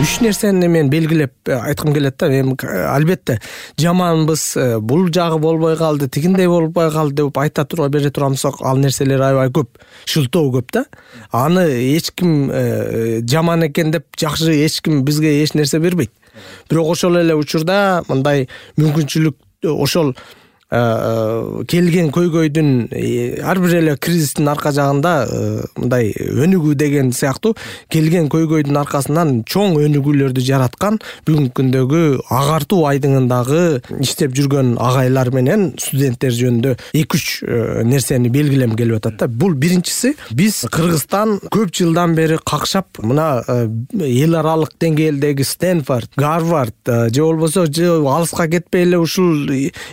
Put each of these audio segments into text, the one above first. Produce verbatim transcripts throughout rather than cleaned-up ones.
үч нерсени мен белгилеп айткым келет да. Эми албетте жаманбыз, бул жагы болбой калды, тигиндей болбой калды деп айта туруп бере турамсак, ал нерселер аябай көп, шылтоо көп да. Аны эч ким жаман экен деп жакшы эч ким бизге эч нерсе бербейт. Бирок ошол эле учурда мындай мүмкүнчүлүк ошол келген көйгөйдүн ар бир эле кризистин арка жагында мындай өнүгүү деген сыяктуу келген көйгөйдүн аркасынан чоң өнүгүүлөрдү жараткан бүгүнкү күндөгү агартуу айдыңындагы иштеп жүргөн агайлар менен студенттер жөнүндө эки үч нерсени белгилем келип атат да. Бул биринчиси, биз Кыргызстан көп жылдан бери какшап мына эл аралык деңгээлдеги Стэнфорд, Гарвард же болбосо алыска кетпей эле ушул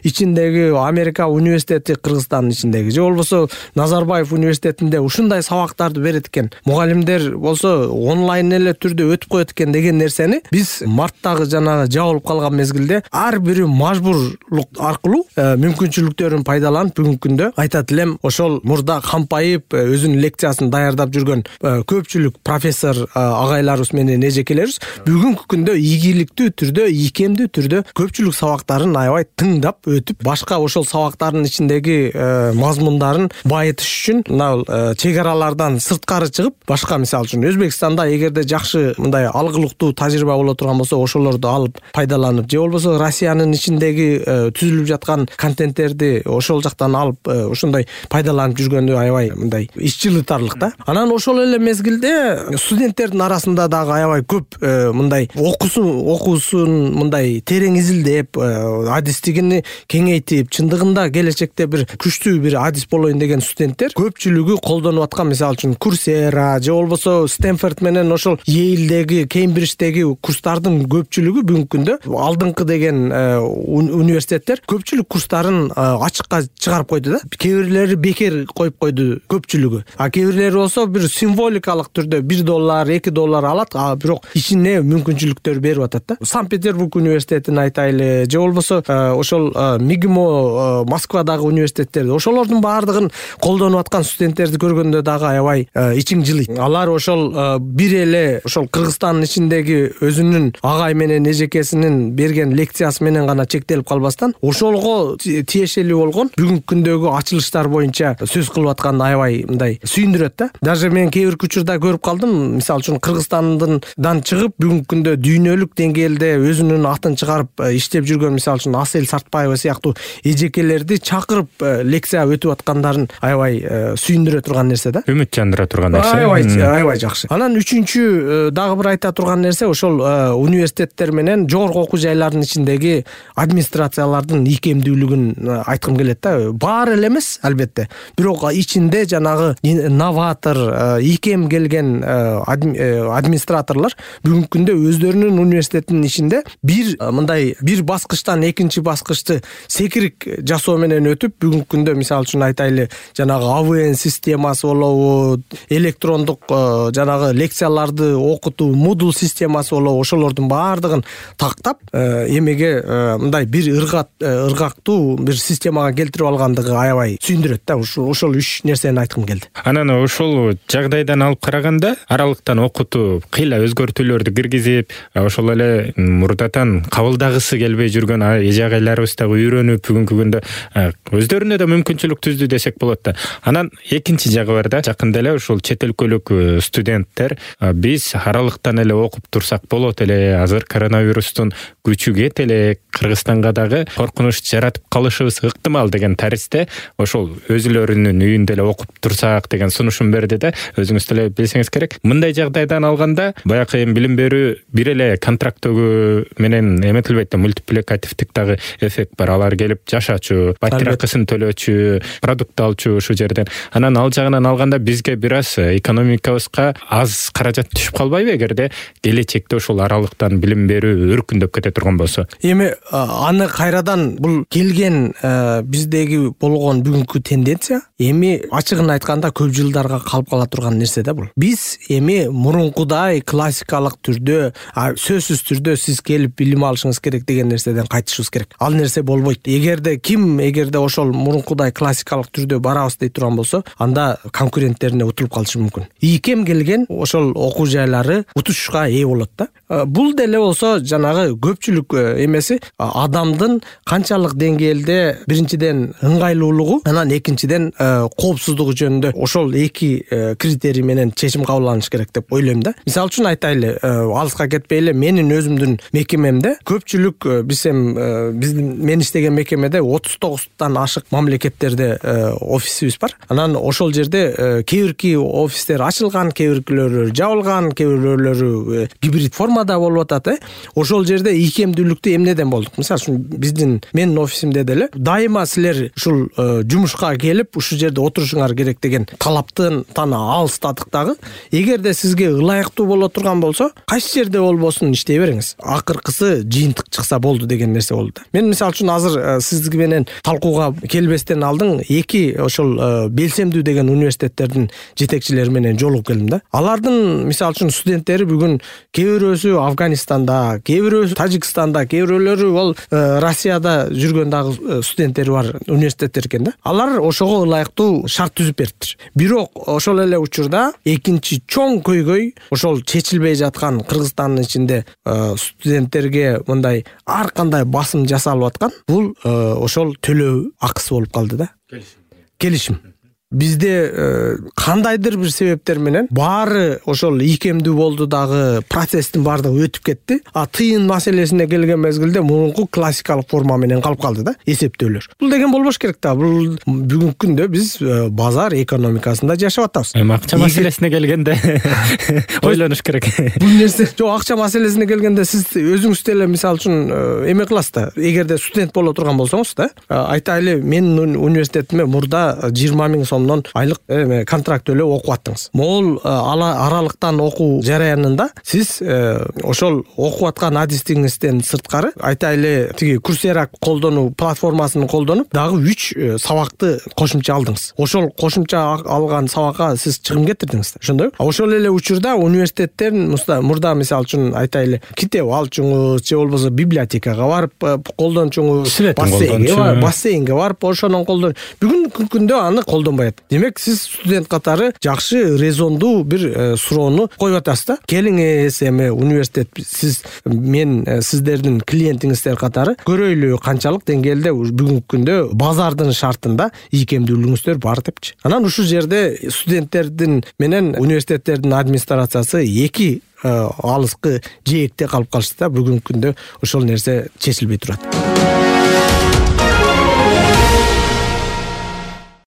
ичиндеги Америка университети, Кыргызстандын ичиндеги же болбосо Назарбаев университетинде ушундай сабактарды берет экен. Мугалимдер болсо онлайн эле түрдө өтүп коет экен деген нерсени биз марттагы жанагы жабылып калган мезгилде ар бири мажбурлук аркылуу мүмкүнчүлүктөрүн пайдаланып бүгүнкү күндө айтат элем ошол мурда кампайып өзүнүн лекциясын даярдап жүргөн көпчүлүк профессор агайларыбыз менен эжекелерибиз бүгүнкү күндө ийгиликтүү түрдө, ийкемдүү түрдө көпчүлүк сабактарын аябай тыңдап өтүп, башка ошол сабактардын ичиндеги мазмундарын байытыш үчүн мына чек аралардан сырткары чыгып, башка мисалы үчүн Өзбекстанда эгерде жакшы мындай алгылыктуу тажрыйба боло турган болсо, ошолорду алып пайдаланып, же болбосо Россиянын ичиндеги түзүлүп жаткан контенттерди ошол жактан алып ошондой пайдаланып жүргөнү аябай мындай ич жылытарлык да. Анан ошол эле мезгилде студенттердин арасында дагы аябай көп мындай окуусун окуусун мындай терең изилдеп, адистигини кеңейтип, чындыгында келечекте бир күчтүү бир адис болоюн деген студенттер көпчүлүгү колдонуп аткан, мисалы үчүн Coursera же болбосо Стэнфорд менен ошол Yale'деги, Кембридждеги курстардын көпчүлүгү бүгүнкү күндө алдыңкы деген университеттер көпчүлүк курстарын ачыкка чыгарып койду да. Кээ бирлери бекер коюп койду көпчүлүгү. А кээ бирлери болсо бир символикалык түрдө бир доллар, эки доллар алат, а бирок ичине мүмкүнчүлүктөр берип атат да. Санкт-Петербург университетин айтайлы, же болбосо ошол МИГМО Москвадагы университеттер, ошолордун баардыгын колдонуп аткан студенттерди көргөндө дагы аябай ичиң жылыйт. Алар ошол бир эле ошол Кыргызстандын ичиндеги өзүнүн агай менен эжекесинин берген лекциясы менен гана чектелип калбастан, ошолго тиешелүү болгон бүгүнкү күндөгү ачылыштар боюнча сөз кылып аткан аябай мындай сүйүндүрөт да. Даже мен кээ бир учурда көрүп калдым, мисалы үчүн Кыргызстандан чыгып бүгүнкү күндө дүйнөлүк деңгээлде өзүнүн атын чыгарып иштеп жүргөн, мисалы үчүн Асель Сартбаева сыяктуу эжекелерди чакырып лекция өтүп аткандарын аябай сүйүндүрө турган нерсе да. Үмүт жандыра турган нерсе. Аябай аябай жакшы. Анан үчүнчү дагы бир айта турган нерсе ошол университеттер менен жогорку окуу жайлардын ичиндеги администрациялардын ийкемдүүлүгүн айткым келет да. Баары эле эмес албетте, бирок ичинде жанагы новатор, ийкем келген администраторлор бүгүнкү күндө өздөрүнүн университетинин ичинде бир мындай бир баскычтан экинчи баскычты секирик жасоо менен өтүп, бүгүнкү күндө мисалы үчүн айтайлы, жанагы А В Н системасы болобу, электрондук жанагы лекцияларды окутуу Moodle системасы болобу, ошолордун баардыгын тактап эмеге мындай бир ыргат ыргактуу бир системага келтирип алгандыгы аябай сүйүндүрөт да. Ошол үч нерсени айткым келди. Анан ошол жагдайдан алып караганда аралыктан окутуп, кыйла өзгөртүүлөрдү киргизип, ошол эле мурдатан кабылдагысы келбей жүргөн эже агайларыбыз дагы үйрөнүп бүгүнкү күндө өздөрүнө да мүмкүнчүлүк түздү десек болот да. Анан экинчи жагы бар да, жакында эле ушул чет өлкөлүк студенттер биз аралыктан эле окуп турсак болот эле, азыр коронавирустун күчү кет эле, Кыргызстанга дагы коркунуч жаратып калышыбыз ыктымал деген таристе ошол өзүлөрүнүн үйүндө эле окуп турсак деген сунушун берди да. Өзүңүз деле билсеңиз керек. Мындай жагдайдан алганда баягы эми билим берүү бир эле контрактөгү менен эметилбейт да, мультипликативдик дагы эффект бар. Алар келип жашачу, батиракысын төлөчү, продукт алчу ушул жерден. Анан ал жагынан алганда бизге бир аз экономикабызга аз каражат түшүп калбайбы эгерде келечекте ушул аралыктан билим берүү өркүндөп кете турган болсо? Эми аны кайрадан бул келген биздеги болгон бүгүнкү тенденция эми ачыгын айтканда көп жылдарга калып кала турган нерсе да бул. Биз эми мурункудай классикалык түрдө, сөзсүз түрдө сиз келип билим алышыңыз керек деген нерседен кайтышыбыз керек. Ал нерсе болбойт. Эгер эгерде ким эгерде ошол мурункудай классикалык түрдө барабыз дей турган болсо, анда конкуренттерине утулуп калышы мүмкүн. Ийкем келген ошол окуу жайлары утушка ээ болот да. Бул деле болсо жанагы көпчүлүк эмеси адамдын канчалык деңгээлде биринчиден ыңгайлуулугу, анан экинчиден коопсуздугу жөнүндө ошол эки критерий менен чечим кабыл алыныш керек деп ойлойм да. Мисалы үчүн айтайлы, алыска кетпей эле менин өзүмдүн мекемемде көпчүлүк биз эми биздин мен иштеген мекемеде отуз тогуздан ашык мамлекеттерде офисибиз бар. Анан ошол жерде кээ бирки офистер ачылган, кээ биркилери жабылган, кээ бирөөлөрү гибрид формада болуп атат. Ошол жерде ийкемдүүлүктү эмнеден болдук? Мисалы үчүн биздин менин офисимде деле дайыма силер ушул жумушка келип ушул жерде отурушуңар керек деген талаптан тана алыстадык дагы. Эгерде сизге ылайыктуу боло турган болсо, кайсы жерде болбосун иштей бериңиз. Акыркысы жыйынтык чыкса болду деген нерсе болду. Мен мисалы үчүн азыр сизди менен талкууга келбестен алдын эки ошол белсемдүү деген университеттердин жетекчилери менен жолугуп келдим да. Алардын мисалы үчүн студенттери бүгүн кээ бирөөсү Афганистанда, кээ бирөөсү Тажикстанда, кээ бирөөлөрү ол Россияда жүргөн дагы студенттери бар университеттер экен да. Алар ошого ылайыктуу шарт түзүп бериптир. Бирок ошол эле учурда экинчи чоң көйгөй ошол чечилбей жаткан Кыргызстандын ичинде студенттерге мындай ар кандай басым жасалып аткан бул ошол төлөө акысы болуп калды да. Келишим. Бизде кандайдыр бир себептер менен баары ошол ийкемдүү болду дагы, процесстин баардыгы өтүп кетти. А тыйын маселесине келген мезгилде мурунку классикалык форма менен калып калды да, эсептөөлөр. Бул деген болбош керек да. Бул бүгүнкү күндө биз базар экономикасында жашап атабыз. Эми акча маселесине келгенде ойлонуш керек. Бул нерсе жок, акча маселесине келгенде сиз өзүңүз деле мисалы үчүн эме кыласыз да. Эгерде студент боло турган болсоңуз да, айтайлы менин университетиме мурда жыйырма миң сом айлык эме контракт төлөп окуп аттыңыз. Могул аралыктан окуу жараянында сиз ошол окуп аткан адистигиңизден сырткары айтайлы тиги Coursera колдонуу платформасын колдонуп дагы үч сабакты кошумча алдыңыз. Ошол кошумча алган сабакка сиз чыгым кетирдиңиз. Ошондойбу? Ошол эле учурда университеттер мурда мисалы үчүн айтайлы китеп алчуңуз же болбосо библиотекага барып колдончуңуз, бассейнге, бассейнге барып ошонун колдон. Бүгүнкү күндө аны колдонбай. Демек сиз студент катары жакшы резондуу бир суроону коюп атасыз да. Келиңиз эми университет сиз мен сиздердин клиентиңиздер катары көрөйлү канчалык деңгээлде бүгүнкү күндө базардын шартында ийкемдүүлүгүңүздөр бар депчи. Анан ушул жерде студенттердин менен университеттердин администрациясы эки алыскы жээкте калып калышты да. Бүгүнкү күндө ошол нерсе чечилбей турат.